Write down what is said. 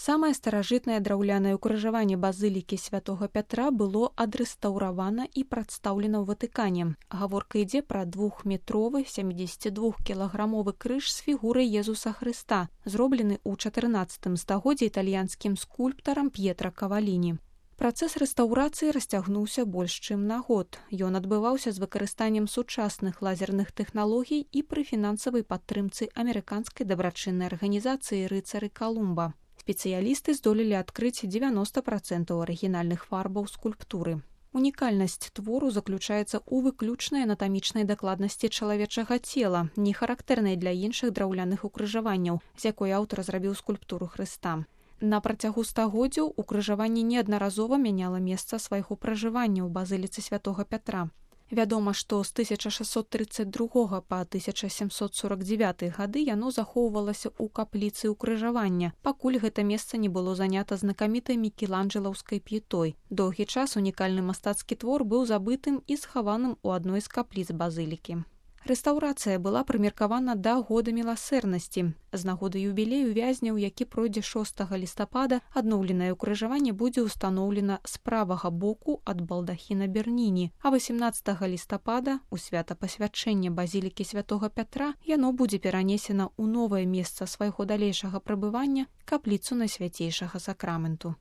Самае старажытнае драўлянае ўкрыжаванне базылікі святога Пятра было адрэстаўравана і прадстаўлена ў Ватыкане. Гаворка ідзе пра 2-метровы 72-кілаграмовы крыж з фігурай Езуса Хрыста, зроблены ў 14 стагоддзі італьянскім скульптарам П'етра Каваліні. Працэс рэстаўрацыі расцягнуўся больш чым на год. Ён адбываўся з выкарыстаннем сучасных лазерных тэхналогій і пры фінансавай падтрымцы амерыканскай дабрачыннай арганізацыі «Рыцары Калумба». Спецыялісты здолелі адкрыць 90% арыгінальных фарбаў скульптуры. Унікальнасць твору заключаецца ў выключнай анатамічнай дакладнасці чалавечага цела, не характэрнай для іншых драўляных укрыжаванняў, з якой аўтар зрабіў скульптуру Хрыста. На працягу стагоддзяў укрыжаванне неаднаразова мяняла месца свайго пражывання ў базыліцы святога Пятра. Вядома, што з 1632 па 1749 гады яно захоўвалася ў капліцы ўкрыжавання, пакуль гэта месца не было занята знакамітай мікеланджэлаўскай п'ятой. Доўгі час унікальны мастацкі твор быў забытым і схаваным у адной з капліц базылікі. Рэстаўрацыя была прымеркавана да года міласэрнасці. З нагоды юбілею вязняў, які пройдзе 6 лістапада, адноўленае ўкрыжаванне будзе ўстаноўлена з правага боку ад балдахіна Берніні, а 18 лістапада, у свята пасвячэння базілікі святога Пятра, яно будзе перанесена ў новае месца свайго далейшага прабывання, капліцу Найсвяцейшага сакраменту.